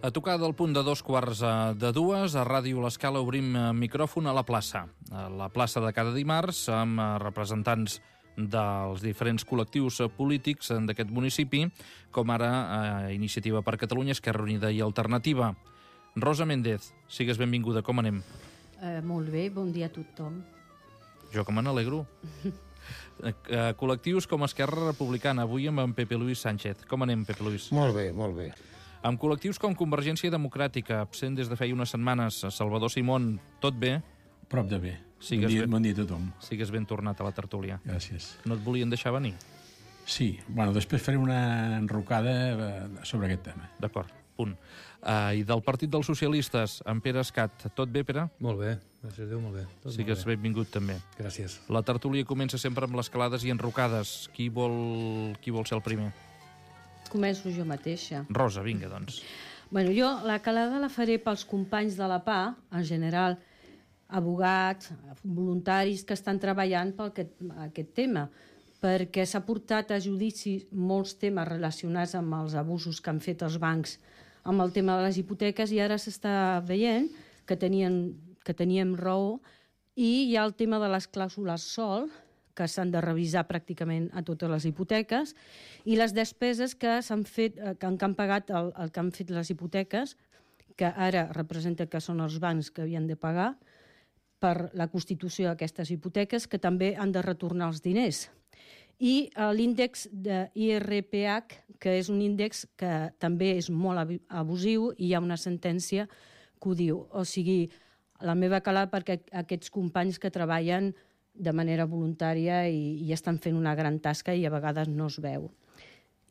A tocar del punt de 2:15, a Ràdio L'Escala obrim micròfon a la plaça. A la plaça de cada dimarts, amb representants dels diferents col·lectius polítics d'aquest municipi, com ara Iniciativa per Catalunya, Esquerra Unida i Alternativa. Rosa Méndez, sigues benvinguda, com anem? Molt bé, bon dia a tothom. Jo que me n'alegro. Col·lectius com Esquerra Republicana, avui amb en Pepe Luis Sánchez. Com anem, Pepe Luis? Molt bé, molt bé. Amb col·lectius com Convergència Democràtica, absent des de feia unes setmanes, Salvador Simón, tot bé? Prop de bé. Bon dia a tothom. Sigues ben tornat a la tertúlia. Gràcies. No et volien deixar venir? Sí, bueno, després faré una enrocada sobre aquest tema. D'acord, punt. I del Partit dels Socialistes, en Pere Escat, tot bé, Pere? Molt bé, gràcies a Déu, molt bé. Sigues benvingut també. Gràcies. La tertúlia comença sempre amb les calades i enrocades. Qui vol ser el primer? Començo jo mateixa. Rosa, vinga, doncs. Bueno, jo la calada la faré pels companys de la PA, en general, abogats, voluntaris que estan treballant per aquest tema, perquè s'ha portat a judici molts temes relacionats amb els abusos que han fet els bancs amb el tema de les hipoteques, i ara s'està veient que teníem raó, i hi ha el tema de les clàusules sol, que s'han de revisar pràcticament a totes les hipoteques, i les despeses que s'han fet, que han pagat el que han fet les hipoteques, que ara representa que són els bancs que havien de pagar per la constitució d'aquestes hipoteques, que també han de retornar els diners. I l'índex de IRPH, que és un índex que també és molt abusiu, i hi ha una sentència que ho diu. O sigui, la meva calada perquè aquests companys que treballen de manera voluntària i estan fent una gran tasca i a vegades no es veu.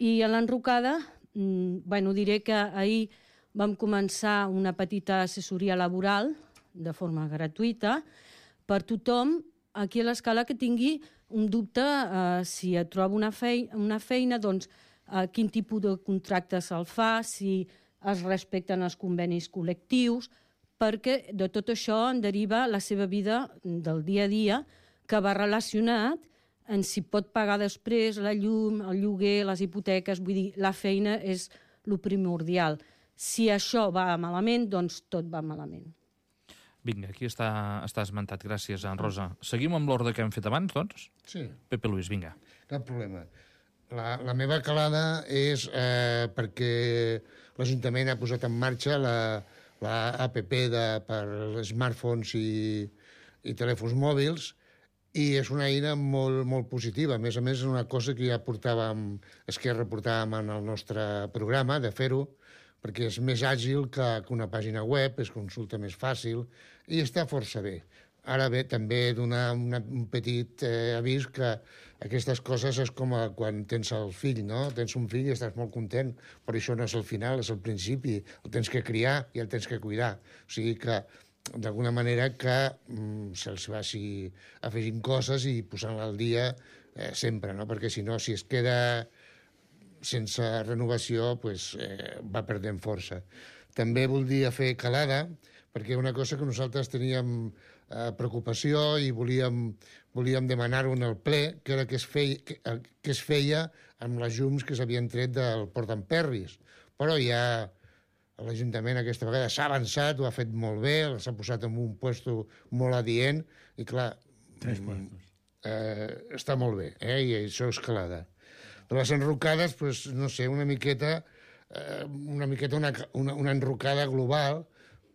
I a l'enrocada, diré que ahir vam començar una petita assessoria laboral de forma gratuïta per tothom aquí a l'Escala que tingui un dubte si et troba una feina, doncs quin tipus de contracte se'l fa, si es respecten els convenis col·lectius, perquè de tot això en deriva la seva vida del dia a dia, que va relacionat en si pot pagar després la llum, el lloguer, les hipoteques. Vull dir, la feina és el primordial. Si això va malament, doncs tot va malament. Vinga, aquí està esmentat. Gràcies, Rosa. Seguim amb l'ordre que hem fet abans, doncs? Sí. Pepe Luis, vinga. Cap problema. La meva calada és perquè l'Ajuntament ha posat en marxa l'APP per smartphones i telèfons mòbils, i és una eina molt, molt positiva. A més, és una cosa que ja Esquerra portàvem en el nostre programa, de fer-ho, perquè és més àgil que una pàgina web, es consulta més fàcil, i està força bé. Ara bé, també donar un petit avís que aquestes coses és com quan tens el fill, no? Tens un fill i estàs molt content, però això no és el final, és el principi. El tens que criar i el tens que cuidar. O sigui que d'alguna manera que se'ls vagi afegint coses i posant-la al dia sempre, no? Perquè si no, si es queda sense renovació, va perdent força. També voldria fer calada, perquè una cosa que nosaltres teníem preocupació i volíem demanar-ho en el ple, que era que es feia amb les llums que s'havien tret del Port d'en Perris. Però ja l'Ajuntament aquesta vegada s'ha avançat, ho ha fet molt bé, s'ha posat en un puesto molt adient, i clar, 3 puestos. Està molt bé, i això és calada. De les enrocades, no sé, una miqueta una enrocada global,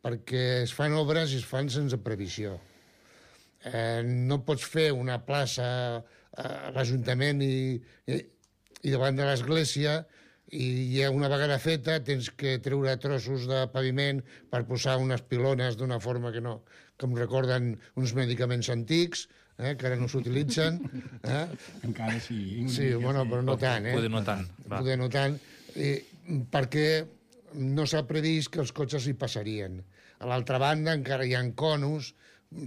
perquè es fan obres i es fan sense previsió. No pots fer una plaça a l'Ajuntament i davant de l'església, i una vegada feta tens que treure trossos de paviment per posar unes pilones d'una forma que em recorden uns medicaments antics, que ara no s'utilitzen. Encara sí. Sí, bueno, però no tant. Poder no tant. Poder no tant, perquè no s'ha previst que els cotxes hi passarien. A l'altra banda encara hi ha conos,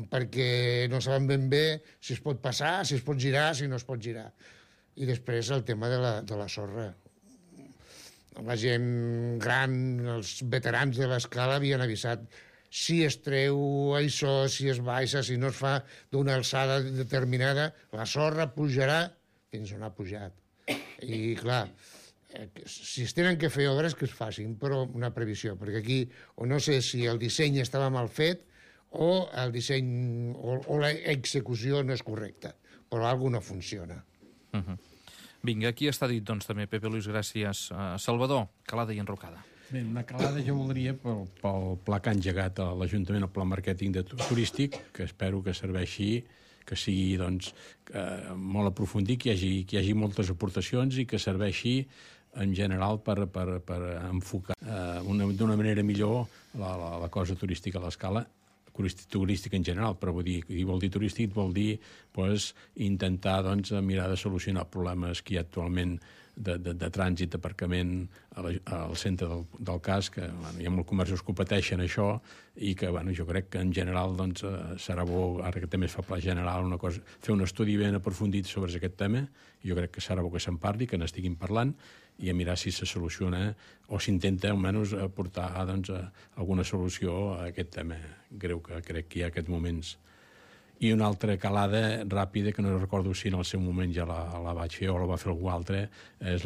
perquè no saben ben bé si es pot passar, si es pot girar, si no es pot girar. I després el tema de la sorra. La gent gran, els veterans de l'Escala havien avisat: si es treu això, si es baixa, si no es fa d'una alçada determinada, la sorra pujarà fins on ha pujat. I clar, si es tenen que fer obres, que es facin, però una previsió, perquè aquí o no sé si el disseny estava mal fet o el disseny o l'execució no és correcta, però alguna no funciona. Vinga, aquí està dit, doncs, també, Pepe Luis, gràcies. Salvador, calada i enrocada. Bé, una calada jo voldria pel pla que ha engegat a l'Ajuntament, el pla màrqueting turístic, que espero que serveixi, que sigui doncs, molt aprofundit, que hi hagi moltes aportacions i que serveixi en general per enfocar d'una manera millor la cosa turística a l'escala, turístic en general, però vol dir turístic, vol dir intentar mirar de solucionar problemes que hi ha actualment de trànsit, d'aparcament al centre del casc, que hi ha molts comerços que competeixen això i que jo crec que en general serà bo, ara que també es fa pla general, fer un estudi ben aprofundit sobre aquest tema, i jo crec que serà bo que se'n parli, que n'estiguin parlant, i a mirar si se soluciona o s'intenta almenys aportar alguna solució a aquest tema greu que crec que hi ha en aquests moments. I una altra calada ràpida, que no recordo si en el seu moment ja la vaig fer o la va fer algú altre, és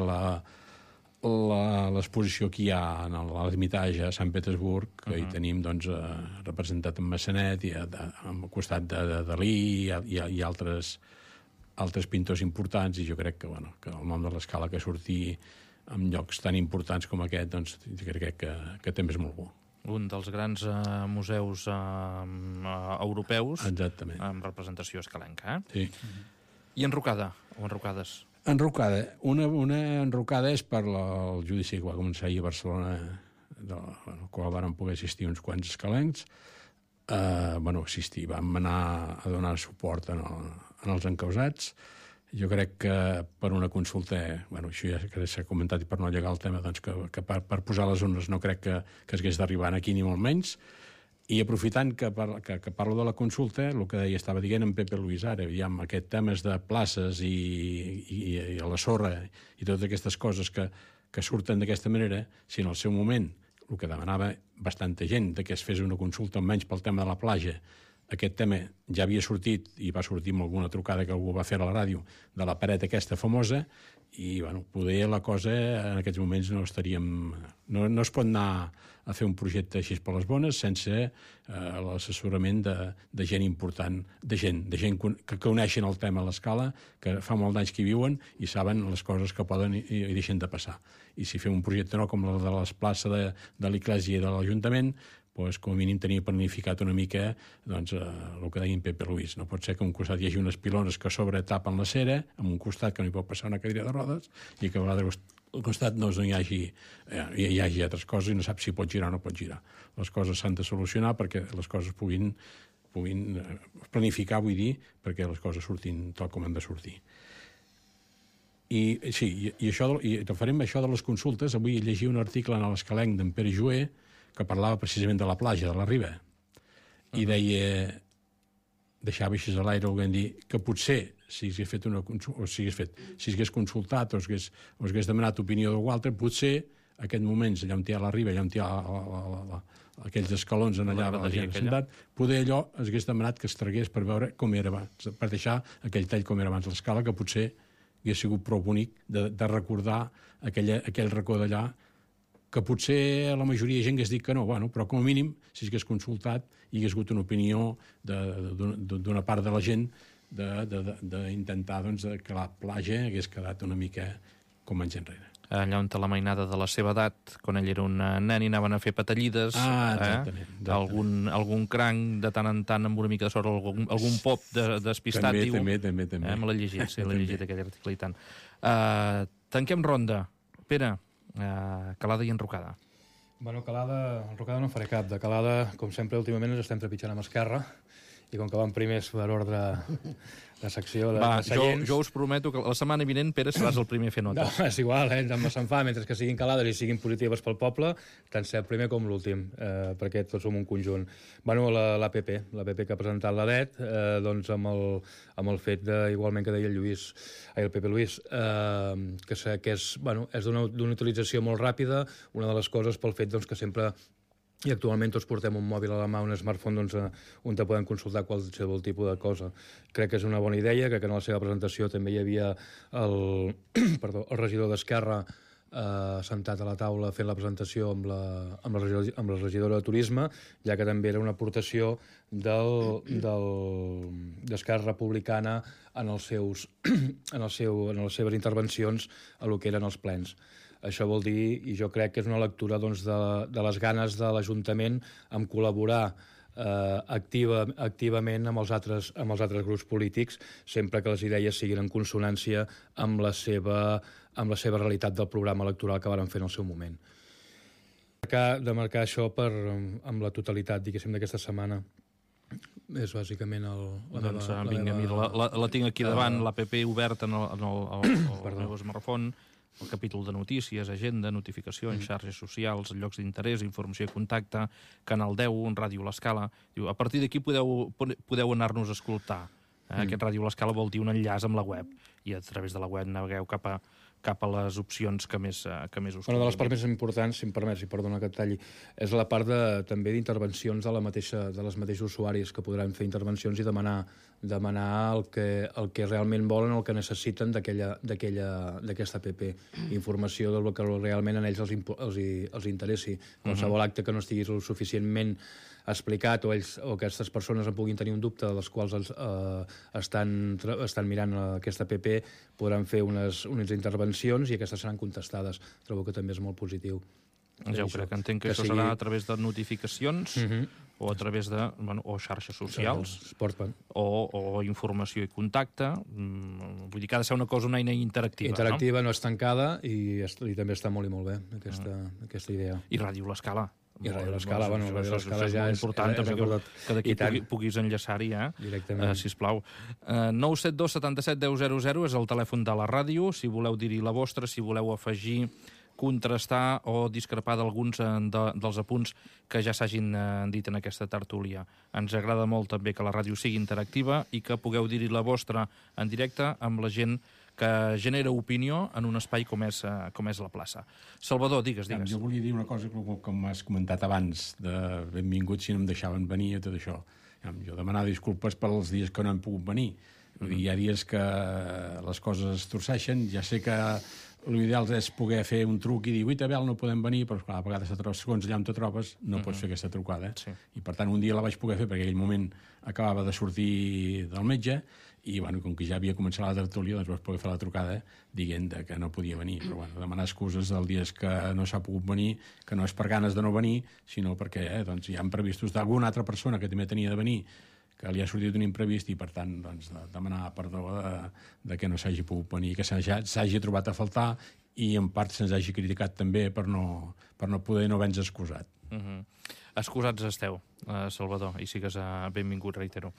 l'exposició que hi ha en l'Ermitage a Sant Petersburg, que hi tenim representat en Massanet, i al costat de Dalí i altres pintors importants, i jo crec que el nom de l'escala que surti en llocs tan importants com aquest, crec que també és molt bo. Un dels grans museus europeus. Exactament. Amb representació escalenca. Sí. I enrocada, o enrocades? Enrocada. Una enrocada és per el judici que va començar ahir a Barcelona, al qual van poder assistir uns quants escalencs. Vam anar a donar suport en els encausats. Jo crec que per una consulta, això ja s'ha comentat i per no llegar el tema, que per posar les urnes no crec que s'hagués d'arribar aquí ni molt menys. I aprofitant que parlo de la consulta, el que estava dient en Pepe Luis ara, aquest temes de places i a la sorra i totes aquestes coses que surten d'aquesta manera, si en el seu moment el que demanava bastanta gent que es fes una consulta almenys pel tema de la platja, aquest tema ja havia sortit i va sortir amb alguna trucada que algú va fer a la ràdio de la paret aquesta famosa i poder la cosa en aquests moments no estaríem... No es pot anar a fer un projecte així per les bones sense l'assessorament de gent important, de gent que coneixen el tema a l'escala, que fa molt d'anys que hi viuen i saben les coses que poden i deixen de passar. I si fem un projecte com el de les places de l'Església i de l'Ajuntament, com a mínim tenia planificat una mica el que deia en Pepe Luis. No pot ser que a un costat hi hagi unes pilones que a sobre tapen la cera, en un costat que no hi pot passar una cadira de rodes, i que a vegades al costat no hi hagi altres coses i no sap si pot girar o no pot girar. Les coses s'han de solucionar perquè les coses puguin planificar, vull dir, perquè les coses surtin tal com han de sortir. I referent a això de les consultes, avui llegia un article en l'Escalenc d'en Pere Joer que parlava precisament de la platja, de la riba, i deia, deixava així a l'aire volent dir que potser si s'hagués fet una consulta, o si s'hagués consultat o s'hagués demanat opinió d'algú altre, potser en aquests moments allà on hi ha la riba, allà on hi ha aquells escalons en allà la gent sentat, poder allò s'hagués demanat que es tragués per veure com era abans, per deixar aquell tall com era abans l'escala, que potser hagués sigut prou bonic de recordar aquell racó d'allà, que potser la majoria de gent hagués dit que no, però com a mínim, si s'hagués consultat, hi hagués hagut una opinió d'una part de la gent d'intentar que la platja hagués quedat una mica com anys enrere. Allà on té la mainada de la seva edat, quan ell era un nen i anaven a fer patallides, exactament. Algun cranc de tant en tant amb una mica de sort, algun pop despistat, diu. També. Me l'he llegit, sí, l'he llegit aquell article i tant. Tanquem ronda. Pere, calada i enrocada. Enrocada no faré cap. De calada, com sempre, últimament ens estem trepitjant amb Esquerra, i com que van primers per ordre de secció de seients... Jo us prometo que la setmana vinent, Pere, seràs el primer a fer notes. No, és igual, se'n fa, mentre que siguin calades i siguin positives pel poble, tant ser el primer com l'últim, perquè tots som un conjunt. L'APP que ha presentat l'ADET, amb el fet, igualment que deia el Pepe Luis, que és d'una utilització molt ràpida, una de les coses pel fet que sempre... I actualment tots portem un mòbil a la mà, un smartphone, on te podem consultar qualsevol tipus de cosa. Crec que és una bona idea, que en la seva presentació també hi havia el regidor d'Esquerra, sentat a la taula fent la presentació amb la regidora de Turisme, ja que també era una aportació d'Esquerra Republicana en les seves intervencions a lo que eren els plens. Això vol dir, i jo crec que és una lectura doncs, de les ganes de l'Ajuntament en col·laborar activament amb els altres grups polítics, sempre que les idees siguin en consonància amb la seva realitat del programa electoral que varen fer en el seu moment. De marcar això amb la totalitat, diguéssim, d'aquesta setmana. És bàsicament la tinc aquí davant, l'APP oberta en el meu smartphone, el capítol de notícies, agenda, notificacions, xarxes socials, llocs d'interès, informació i contacte, Canal 10, Ràdio L'Escala. A partir d'aquí podeu anar-nos a escoltar. Aquest Ràdio L'Escala vol dir un enllaç amb la web, i a través de la web navegueu cap a les opcions que més us convenen. Una de les parts més importants, si em permets, i perdona que et talli, és la part també d'intervencions dels mateixos usuaris, que podran fer intervencions i demanar el que realment volen, el que necessiten d'aquesta app. Informació del que realment a ells els interessi. Qualsevol acte que no estigui suficientment explicat o aquestes persones en puguin tenir un dubte, de les quals estan mirant aquesta app, podran fer unes intervencions i aquestes seran contestades. Trobo que també és molt positiu. Ja ho crec, entenc que això serà a través de notificacions o a través de xarxes socials o informació i contacte. Vull dir que ha de ser una eina interactiva. Interactiva, no és tancada, i també està molt i molt bé aquesta idea. I Ràdio L'Escala. I Ràdio L'Escala, Ràdio L'Escala ja és important també que d'aquí puguis enllaçar-hi, sisplau. 972 77 10 00 és el telèfon de la ràdio, si voleu dir-hi la vostra, si voleu afegir, contrastar o discrepar d'alguns dels apunts que ja s'hagin dit en aquesta tertúlia. Ens agrada molt també que la ràdio sigui interactiva i que pugueu dir-hi la vostra en directe amb la gent que genera opinió en un espai com és la plaça. Salvador, digues. Jo volia dir una cosa, com has comentat abans, de benvinguts si no em deixaven venir i tot això. Jo demanar disculpes pels dies que no hem pogut venir. Hi ha dies que les coses es torceixen. Ja sé que l'ideal és poder fer un truc i dir, ui, Abel, no podem venir, però clar, a vegades segons allà on te trobes no pots fer aquesta trucada. I per tant un dia la vaig poder fer perquè en aquell moment acabava de sortir del metge i com que ja havia començat la tertúlia doncs vaig poder fer la trucada dient que no podia venir, però demanar excuses dels dies que no s'ha pogut venir, que no és per ganes de no venir, sinó perquè hi ha previstos d'alguna altra persona que també tenia de venir, que li ha sortit un imprevist i, per tant, demanar perdó de que no s'hagi pogut venir, que s'hagi trobat a faltar i, en part, se'ns hagi criticat també per no poder no haver-nos excusat. Excusats esteu, Salvador, i sigues benvingut, reitero.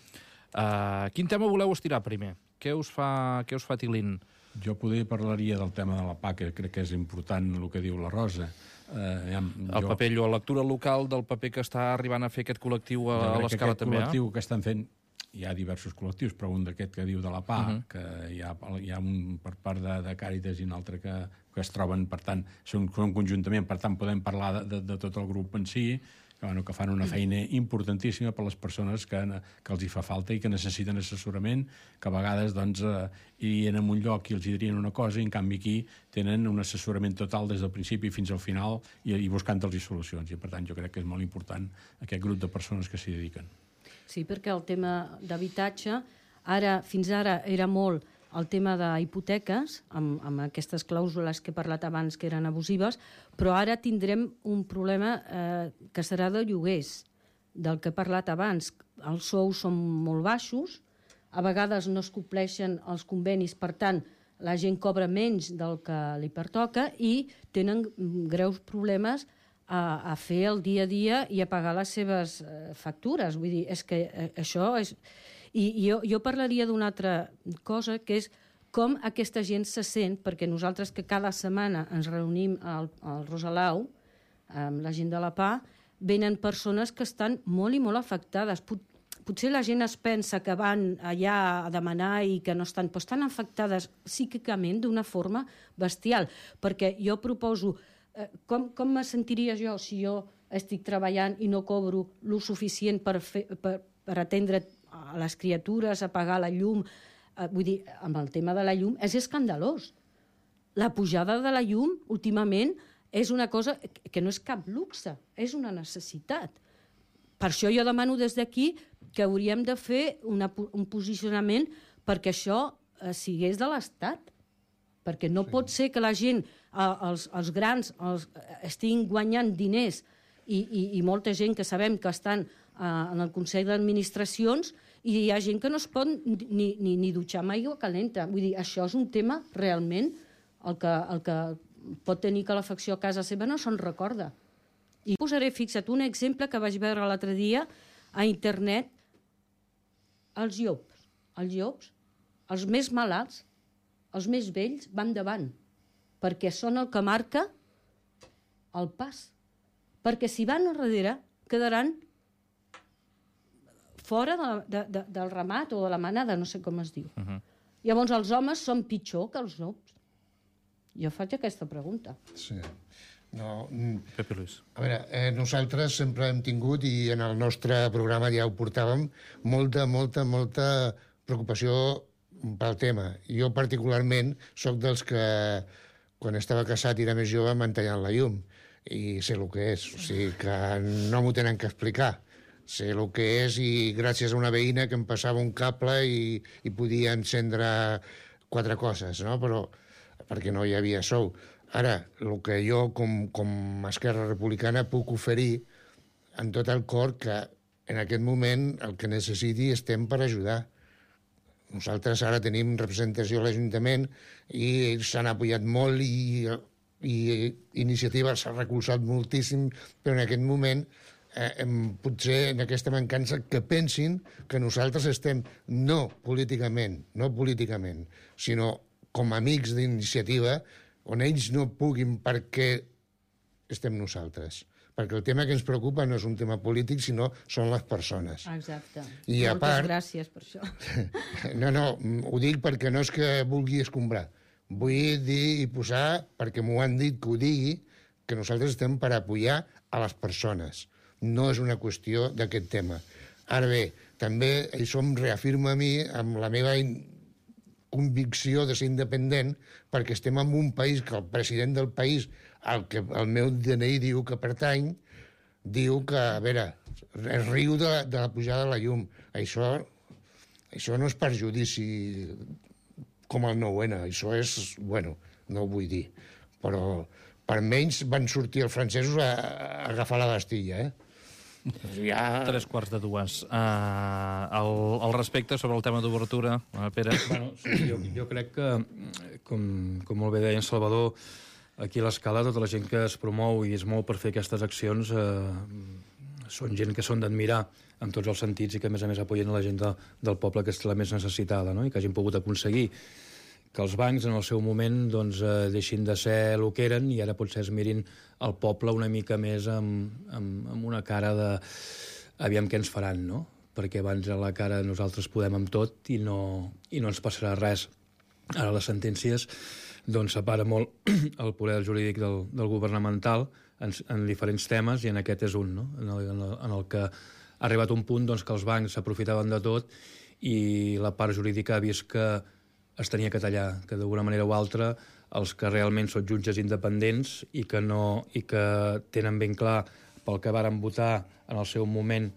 Quin tema voleu estirar primer? Què us fa tilint? Jo poder parlaria del tema de la PA, que crec que és important el que diu la Rosa. El paper, la lectura local del paper que està arribant a fer aquest col·lectiu a l'Escala també. Aquest col·lectiu que estan fent, hi ha diversos col·lectius, però un d'aquest que diu de la PA, que hi ha un per part de Càritas i un altre que es troben, per tant, són conjuntament, per tant, podem parlar de tot el grup en si, que fan una feina importantíssima per a les persones que els hi fa falta i que necessiten assessorament, que a vegades irien a un lloc i els dirien una cosa i en canvi aquí tenen un assessorament total des del principi fins al final i buscant-los solucions. I per tant jo crec que és molt important aquest grup de persones que s'hi dediquen. Sí, perquè el tema d'habitatge fins ara era molt el tema d'hipoteques, amb aquestes clàusules que he parlat abans que eren abusives, però ara tindrem un problema que serà de lloguers, del que he parlat abans. Els sous són molt baixos, a vegades no es compleixen els convenis, per tant, la gent cobra menys del que li pertoca i tenen greus problemes a fer el dia a dia i a pagar les seves factures. Vull dir, és que això és... I jo parlaria d'una altra cosa, que és com aquesta gent se sent, perquè nosaltres que cada setmana ens reunim al Rosalau, amb la gent de la PA, venen persones que estan molt i molt afectades. Potser la gent es pensa que van allà a demanar i que no estan, però estan afectades psíquicament d'una forma bestial, perquè jo proposo com me sentiria jo si jo estic treballant i no cobro lo suficient per atendre a les criatures, a pagar la llum. Vull dir, amb el tema de la llum és escandalós. La pujada de la llum, últimament, és una cosa que no és cap luxe, és una necessitat. Per això jo demano des d'aquí que hauríem de fer un posicionament perquè això sigués de l'Estat. Perquè no pot ser que la gent, els grans, estiguin guanyant diners i molta gent que sabem que estan en el Consell d'Administracions i hi ha gent que no es pot ni dutxar amb aigua calenta. Vull dir, això és un tema realment el que pot tenir calefacció a casa seva no se'n recorda. I posaré, fixa't, un exemple que vaig veure l'altre dia a internet. Els llops, els més malalts, els més vells van davant, perquè són el que marca el pas. Perquè si van a darrere, quedaran fora del ramat o de la manada, no sé com es diu. Llavors els homes són pitjor que els llops. Jo faig aquesta pregunta. Sí. No, Pepe Luis. a veure, nosaltres sempre hem tingut, i en el nostre programa ja ho portàvem, molta preocupació pel tema. Jo particularment sóc dels que quan estava casat i era més jove m'han tallat la llum i sé el que és, o sigui que no m'ho tenen que explicar. Sé el que és i gràcies a una veïna que em passava un cable i podia encendre 4 coses, no? Però perquè no hi havia sou. Ara, el que jo, com a Esquerra Republicana, puc oferir en tot el cor que en aquest moment el que necessiti estem per ajudar. Nosaltres ara tenim representació a l'Ajuntament i ells s'han apoyat molt i Iniciativa s'ha recolzat moltíssim, però en aquest moment potser en aquesta mancança que pensin que nosaltres estem no políticament, sinó com a amics d'Iniciativa, on ells no puguin perquè estem nosaltres. Perquè el tema que ens preocupa no és un tema polític, sinó són les persones. Exacte. I a part, gràcies per això. No, ho dic perquè no és que vulgui escombrar. Vull dir i posar, perquè m'ho han dit que ho digui, que nosaltres estem per apoyar a les persones. No és una qüestió d'aquest tema. Ara bé, també això em reafirma a mi amb la meva convicció de ser independent, perquè estem en un país que el president del país, al que el meu DNI diu que pertany, diu que, a veure, es riu de la pujada de la llum. Això no és perjudici com el 9-N, això és, bueno, no ho vull dir, però per menys van sortir els francesos a agafar la Bastilla, Ja... 3:45. Al respecte, sobre el tema d'obertura, Pere? Bueno, sí, jo crec que, com molt bé deia en Salvador, aquí a l'Escala tota la gent que es promou i es mou per fer aquestes accions són gent que són d'admirar en tots els sentits i que a més apoyen la gent del poble que és la més necessitada, no? I que hagin pogut aconseguir que els bancs en el seu moment doncs, deixin de ser el que eren i ara potser es mirin el poble una mica més amb una cara de aviam què ens faran, no? Perquè abans a la cara nosaltres podem amb tot i no ens passarà res. Ara les sentències doncs separa molt el poder jurídic del governamental en diferents temes i en aquest és un, no? En el que ha arribat un punt doncs, que els bancs s'aprofitaven de tot i la part jurídica ha vist que es tenia que tallar, que d'alguna manera o altra els que realment són jutges independents i que tenen ben clar pel que varen votar en el seu moment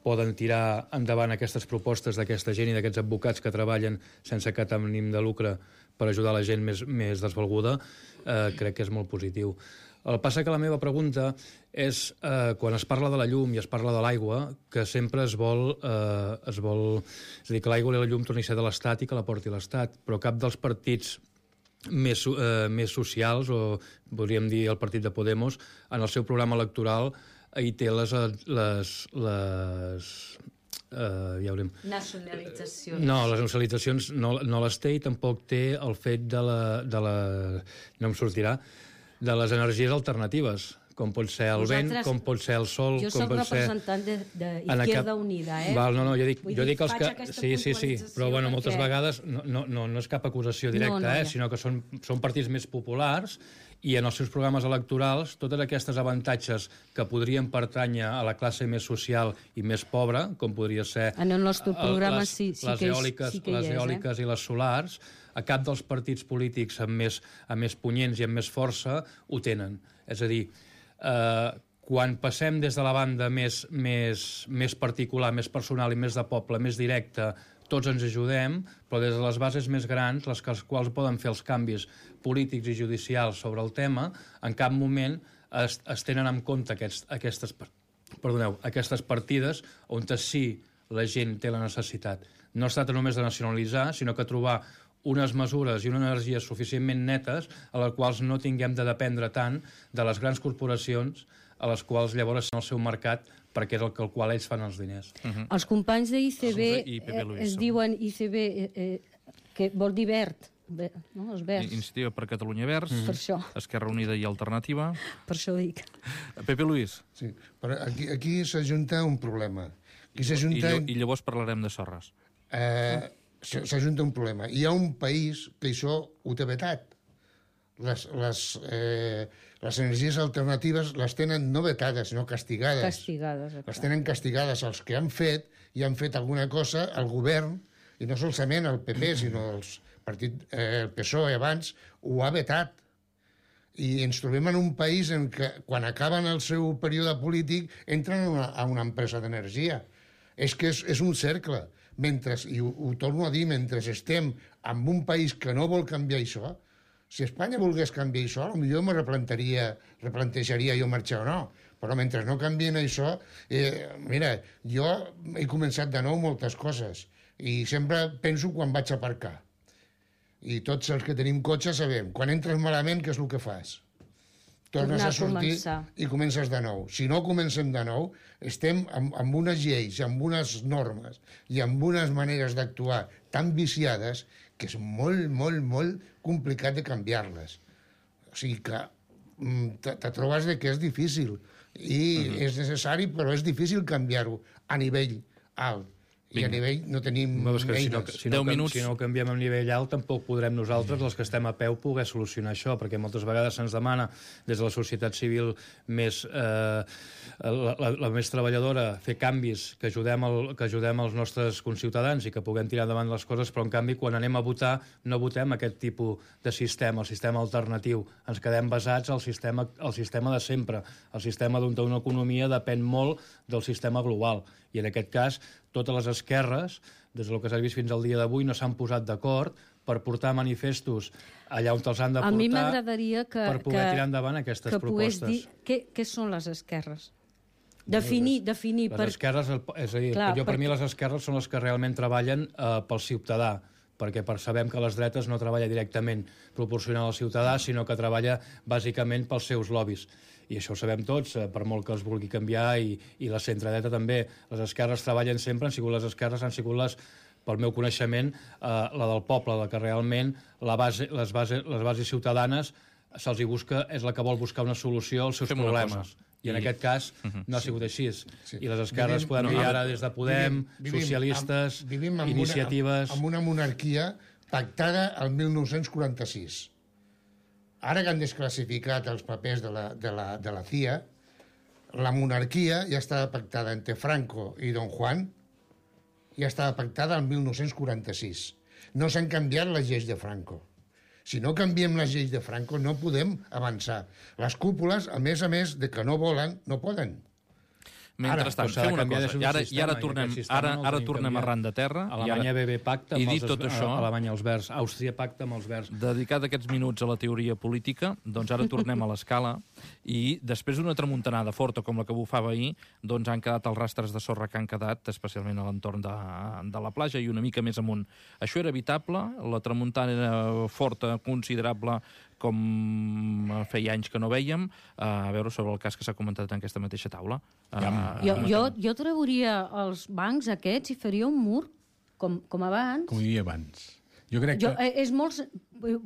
poden tirar endavant aquestes propostes d'aquesta gent i d'aquests advocats que treballen sense cap ànim de lucre per ajudar la gent més desvalguda, crec que és molt positiu. El que passa que la meva pregunta és, quan es parla de la llum i es parla de l'aigua, que sempre es vol... És a dir, que l'aigua i la llum torni a ser de l'Estat i que la porti l'Estat, però cap dels partits més socials, o podríem dir el partit de Podemos, en el seu programa electoral hi té les nacionalitzacions. No, les nacionalitzacions no les té i tampoc té el fet de no em sortirà, de les energies alternatives, com pot ser el vent, com pot ser el sol... Jo soc representant d'Izquierda Unida, No, jo dic els que... Sí, però bueno, moltes vegades no és cap acusació directa, sinó que són partits més populars i en els seus programes electorals totes aquestes avantatges que podrien pertànyer a la classe més social i més pobra, com podria ser en el nostre programa les eòliques i les solars, a cap dels partits polítics amb més punyents i amb més força ho tenen. És a dir, quan passem des de la banda més particular, més personal i més de poble, més directa, tots ens ajudem, però des de les bases més grans, les quals poden fer els canvis polítics i judicials sobre el tema, en cap moment es tenen en compte aquestes partides on sí la gent té la necessitat. No es tracta només de nacionalitzar, sinó que trobar unes mesures i una energia suficientment netes a les quals no tinguem de dependre tant de les grans corporacions a les quals llavors són el seu mercat perquè és el qual ells fan els diners. Els companys d'ICB es diuen ICB, que vol dir verd, no? Els verds. Iniciativa per Catalunya Verds, Per això. Esquerra Unida i Alternativa. Per això dic. Pepe Luis. Sí, però aquí s'ajunta un problema. I llavors parlarem de sorres. S'ajunta un problema. Hi ha un país que això ho té vetat. Les energies alternatives les tenen no vetades, sinó castigades. Castigades. Les tenen castigades. Els que han fet, i han fet alguna cosa, el govern, i no solament el PP, sinó el PSOE abans, ho ha vetat. I ens trobem en un país en què, quan acaben el seu període polític, entren a una empresa d'energia. És que és un cercle. I ho torno a dir, mentre estem en un país que no vol canviar això, si Espanya volgués canviar això, potser me replantejaria jo marxar o no. Però mentre no canvien això, mira, jo he començat de nou moltes coses i sempre penso quan vaig a aparcar. I tots els que tenim cotxe sabem, quan entres malament, què és el que fas? Tornes a sortir i comences de nou. Si no comencem de nou, estem amb unes lleis, amb unes normes i amb unes maneres d'actuar tan viciades que és molt, molt, molt complicat de canviar-les. O sigui que te trobes que és difícil i és necessari, però és difícil canviar-ho a nivell alt. I a nivell no tenim eines. Si no ho canviem a nivell alt, tampoc podrem nosaltres, els que estem a peu, poder solucionar això, perquè moltes vegades se'ns demana des de la societat civil la més treballadora fer canvis que ajudem els nostres conciutadans i que puguem tirar endavant les coses, però en canvi quan anem a votar no votem aquest tipus de sistema, el sistema alternatiu. Ens quedem basats al sistema de sempre. El sistema d'on una economia depèn molt del sistema global. I en aquest cas, totes les esquerres, des del que s'ha vist fins al dia d'avui, no s'han posat d'acord per portar manifestos allà on els han de portar. A mi m'agradaria per poder tirar endavant aquestes propostes. Dir què són les esquerres? Definir. Les esquerres, és a dir, per mi les esquerres són les que realment treballen pel ciutadà, perquè sabem que les dretes no treballa directament proporcional al ciutadà, sinó que treballa bàsicament pels seus lobbies. I això ho sabem tots, per molt que els vulgui canviar, i la centredreta també. Les esquerres treballen sempre, han sigut les esquerres, han sigut pel meu coneixement, la del poble, la que realment les bases ciutadanes se'ls busca, és la que vol buscar una solució als seus problemes. I en aquest cas no ha sigut així. I les esquerres podem dir ara des de Podem, socialistes, iniciatives... Amb una monarquia pactada al 1946. Ara que han desclassificat els papers de la CIA, la monarquia ja estava pactada entre Franco i Don Juan, ja estava pactada el 1946. No s'han canviat les lleis de Franco. Si no canviem les lleis de Franco, no podem avançar. Les cúpules, a més de que no volen, no poden. Mentrestant, fem una cosa. I ara tornem arran de terra. Alemanya BB pacta amb Alemanya els verds. Àustria pacta amb els verds. Dedicat aquests minuts a la teoria política, doncs ara tornem a l'escala i després d'una tramuntanada forta com la que bufava ahir, doncs han quedat els rastres de sorra que han quedat, especialment a l'entorn de la platja i una mica més amunt. Això era evitable? La tramuntana era forta, considerable, com feia anys que no vèiem, a veure sobre el cas que s'ha comentat en aquesta mateixa taula. Jo trauria els bancs aquests i faria un mur, com abans. Com hi havia abans. Jo crec que...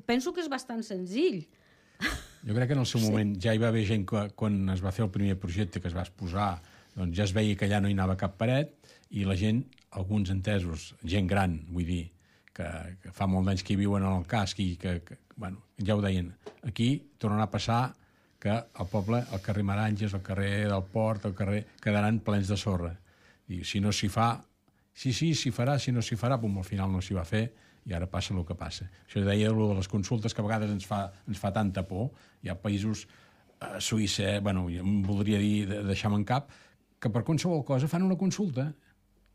Penso que és bastant senzill. Jo crec que en el seu moment ja hi va haver gent que quan es va fer el primer projecte que es va exposar, doncs ja es veia que allà no hi anava cap paret i la gent, alguns entesos, gent gran, vull dir, que fa molt d'anys que hi viuen en el casc i que bueno, ja ho deien, aquí tornarà a passar que el poble, el carrer Maranges, el carrer del Port, el carrer, quedaran plens de sorra. I si no s'hi fa, sí, s'hi farà, si no s'hi farà, al final no s'hi va fer i ara passa el que passa. Això deia de les consultes, que a vegades ens fa tanta por. Hi ha països, Suïssa, bueno, em voldria dir deixar-me en cap, que per qualsevol cosa fan una consulta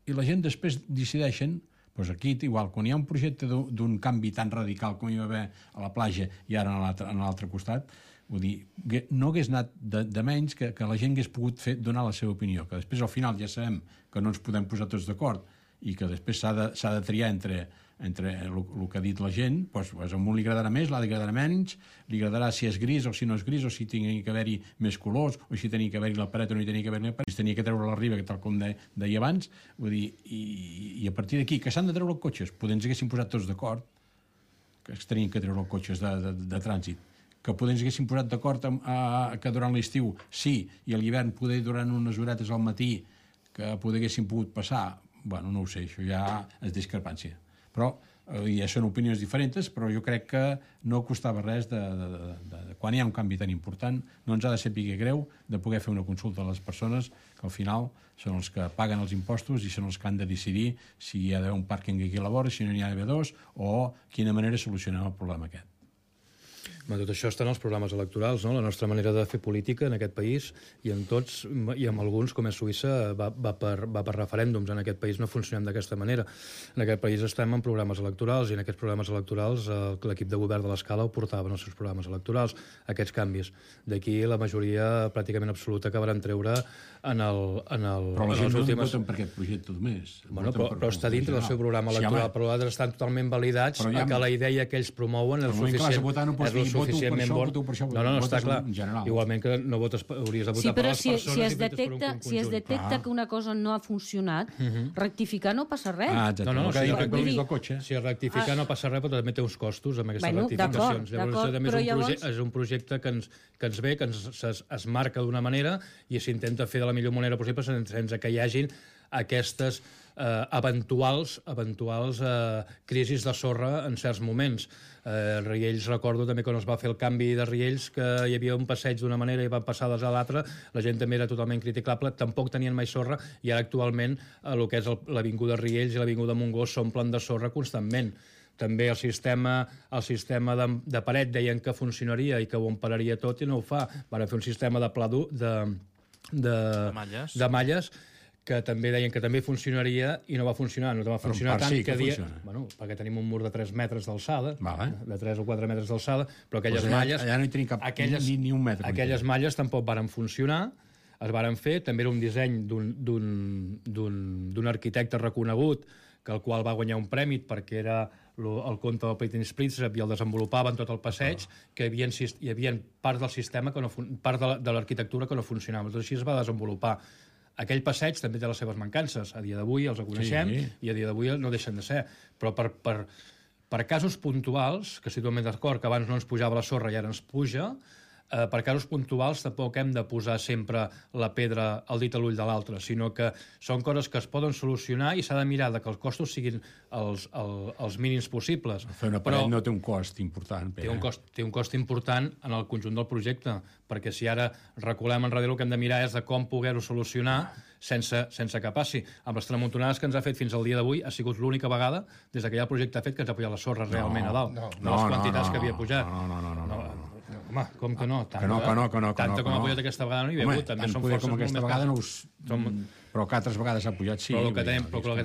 i la gent després decideixen. Doncs aquí, igual, quan hi ha un projecte d'un canvi tan radical com hi va haver a la platja i ara a l'altre costat, vull dir, no hagués anat de menys que la gent hagués pogut donar la seva opinió, que després al final ja sabem que no ens podem posar tots d'acord i que després s'ha de triar entre el que ha dit la gent, doncs a un li agradarà més, l'altre li agradarà menys, li agradarà si és gris o si no és gris, o si tingui que haver-hi més colors, o si tenia que haver-hi la paret o no hi tenia que haver-hi la paret, si tenia que treure la riba, tal com deia abans, vull dir, i a partir d'aquí, que s'han de treure els cotxes, potser ens haguéssim posat tots d'acord, que es tenien que treure els cotxes de trànsit, que potser ens haguéssim posat d'acord que durant l'estiu sí, i a l'hivern poder durant unes horetes al matí que poder haguéssim pogut passar, bueno, no ho sé, això ja és discrepància. Però ja són opinions diferents, però jo crec que no costava res quan hi ha un canvi tan important, no ens ha de ser greu de poder fer una consulta a les persones que al final són els que paguen els impostos i són els que han de decidir si hi ha d'haver un pàrquing aquí a la vora, si no n'hi ha d'haver dos, o quina manera solucionem el problema aquest. Tot això està en els programes electorals, no? La nostra manera de fer política en aquest país, i en tots, i en alguns, com és Suïssa, va per referèndums. En aquest país no funcionem d'aquesta manera. En aquest país estem en programes electorals, i en aquests programes electorals l'equip de govern de l'Escala ho portava en els seus programes electorals, aquests canvis. D'aquí la majoria pràcticament absoluta que van treure en Però la gent no voten per aquest projecte només. Bueno, però està dintre del seu programa electoral, però altres estan totalment validats que la idea que ells promouen és suficientment bon. No, està clar. Igualment que no hauries de votar per les persones. Sí, però si es detecta que una cosa no ha funcionat, rectificar no passa res. Si es rectifica no passa res, però també té uns costos amb aquestes rectificacions. Llavors és un projecte que ens ve, que es marca d'una manera i s'intenta fer de la millor manera possible sense que hi hagin aquestes eventuals crisis de sorra en certs moments. Riells, recordo també quan es va fer el canvi de Riells, que hi havia un passeig d'una manera i van passar a l'altra, la gent també era totalment criticable, tampoc tenien mai sorra, i ara actualment el que és l'avinguda Riells i l'avinguda Montgó s'omplen de sorra constantment. També el sistema de paret deien que funcionaria i que ho empararia tot i no ho fa. Van fer un sistema de pla dur de malles que també deien que també funcionaria i no va funcionar. No va funcionar tant que bueno, perquè tenim un mur de 3 metres d'alçada, de 3 o 4 metres d'alçada, però aquelles malles... Allà no hi tenim ni un metre. Aquelles malles tampoc varen funcionar, es varen fer, també era un disseny d'un arquitecte reconegut, que el qual va guanyar un premi perquè era el conte del Petit Prince i el desenvolupaven tot el passeig, que hi havia part del sistema, part de l'arquitectura que no funcionava. Tot així es va desenvolupar. Aquell passeig també té les seves mancances. A dia d'avui els coneixem i a dia d'avui no deixen de ser. Però per casos puntuals, que si totalment d'acord que abans no ens pujava la sorra i ara ens puja, per casos puntuals tampoc hem de posar sempre la pedra al dit a l'ull de l'altre, sinó que són coses que es poden solucionar i s'ha de mirar que els costos siguin els mínims possibles. Fer una paret no té un cost important. Té un cost important en el conjunt del projecte, perquè si ara reculem enrere el que hem de mirar és de com poder-ho solucionar sense que passi. Amb les tramuntonades que ens ha fet fins al dia d'avui ha sigut l'única vegada des que hi ha el projecte fet que ens ha pujat la sorra realment a dalt. No les quantitats que havia pujat. No. Home, com que no? Que no. Tanta com ha pujat aquesta vegada no hi ha hagut. També són forces com aquesta vegada no però que altres vegades ha pujat, sí. Però el que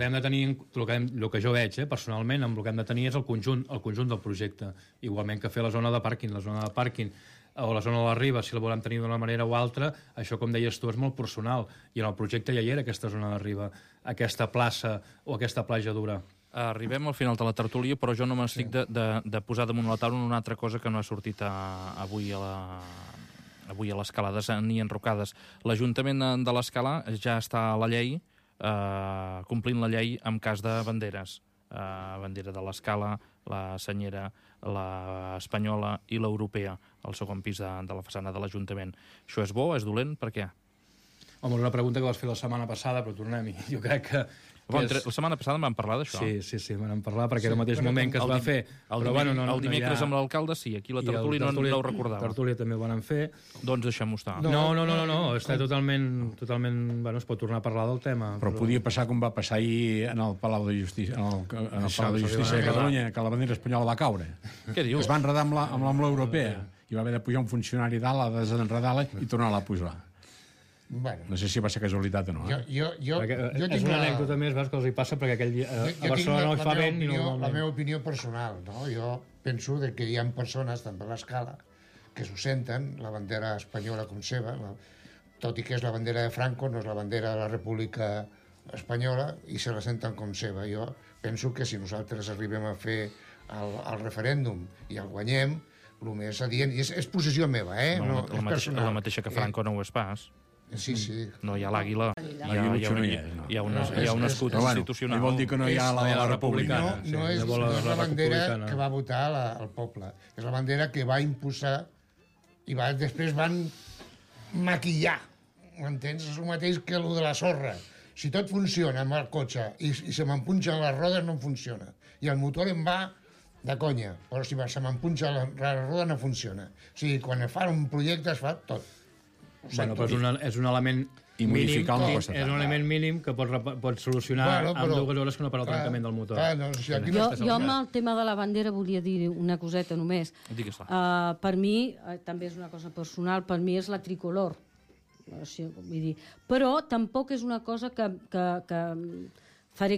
hem de tenir, el que jo veig, personalment, amb el que hem de tenir és el conjunt del projecte. Igualment que fer la zona de pàrquing. La zona de pàrquing o la zona de la riba, si la volem tenir d'una manera o altra, això, com deies tu, és molt personal. I en el projecte ja hi era aquesta zona de riba, aquesta plaça o aquesta platja dura. Arribem al final de la tertúlia, però jo no m'estic de posar damunt la taula una altra cosa que no ha sortit avui a l'Escalades ni enrocades. L'Ajuntament de l'Escala ja està a la llei, complint la llei en cas de banderes. Bandera de l'Escala, la senyera, l'espanyola i l'europea, al segon pis de la façana de l'Ajuntament. Això és bo? És dolent? Per què? Home, una pregunta que vas fer la setmana passada, però tornem-hi. Jo crec La setmana passada en vam parlar d'això. Sí, vam parlar perquè era el mateix moment que es va fer. El dimecres amb l'alcalde, sí, aquí la tertúlia no ho recordava. La tertúlia també ho van fer. Doncs deixem-ho estar. No, està totalment... Bueno, es pot tornar a parlar del tema. Però podia passar com va passar ahir en el Palau de Justícia, en el Palau de Justícia de Catalunya, que la bandera espanyola va caure. Què dius? Es va enredar amb la Unió Europea i va haver de pujar un funcionari dalt a desenredar-la i tornar-la a pujar. Bueno. No sé si va ser casualitat o no. És una anècdota més, veus, que els hi passa perquè aquell dia a Barcelona no hi fa vent i normalment... La meva opinió personal, no? Jo penso que hi ha persones, també a l'escala, que s'ho senten, la bandera espanyola com seva, tot i que és la bandera de Franco, no és la bandera de la República Espanyola, i se la senten com seva. Jo penso que si nosaltres arribem a fer el referèndum i el guanyem, el més adient, i és posició meva, no és personal. La mateixa que Franco no ho és pas. Sí. No hi ha l'àguila, hi ha un escut institucional. Vol dir que no hi ha la República. No és la bandera que va votar el poble, és la bandera que va imposar i després van maquillar, m'entens? És el mateix que el de la sorra. Si tot funciona amb el cotxe i se m'empunxen les rodes, no funciona. I el motor em va de conya, però si se m'empunxa la roda no funciona. O sigui, quan es fa un projecte es fa tot. Bueno, però és un element mínim, és un element mínim que pot solucionar en 2 hores que no per al trencament del motor. Jo amb el tema de la bandera volia dir una coseta només. Per mi, també és una cosa personal, per mi és la tricolor. Però tampoc és una cosa que faré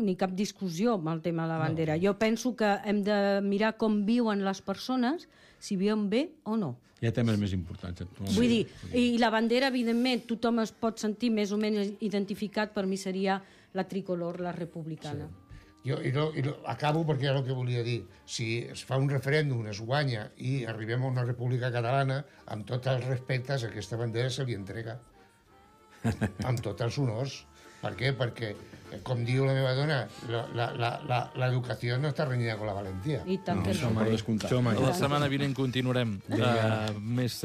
ni cap discussió amb el tema de la bandera. Jo penso que hem de mirar com viuen les persones, si viuen bé o no. Hi ha temes més importants. Vull dir, i la bandera, evidentment, tothom es pot sentir més o menys identificat, per mi seria la tricolor, la republicana. Jo acabo perquè era el que volia dir. Si es fa un referèndum, es guanya i arribem a una república catalana, amb tots els respectes, aquesta bandera se li entrega. Amb tots els honors. Per què? Perquè, com diu la meva dona, l'educació no està renyida amb la valentia. I tant que no. La setmana vinent continuarem més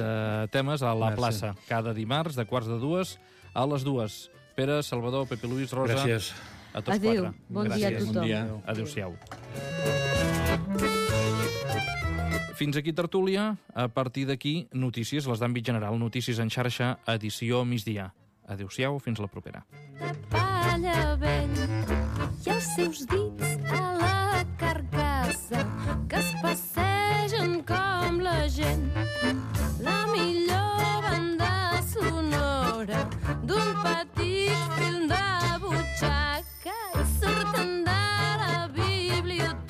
temes a la plaça. Cada dimarts, de 1:45 a les 2. Pere, Salvador, Pepe Luis, Rosa... Gràcies. A tots 4. Adéu. Bon dia a tothom. Adéu-siau. Fins aquí tertúlia. A partir d'aquí, notícies, les d'àmbit general. Notícies en xarxa, edició migdia. Adéu-siau, fins la propera. De palla vell i els seus dits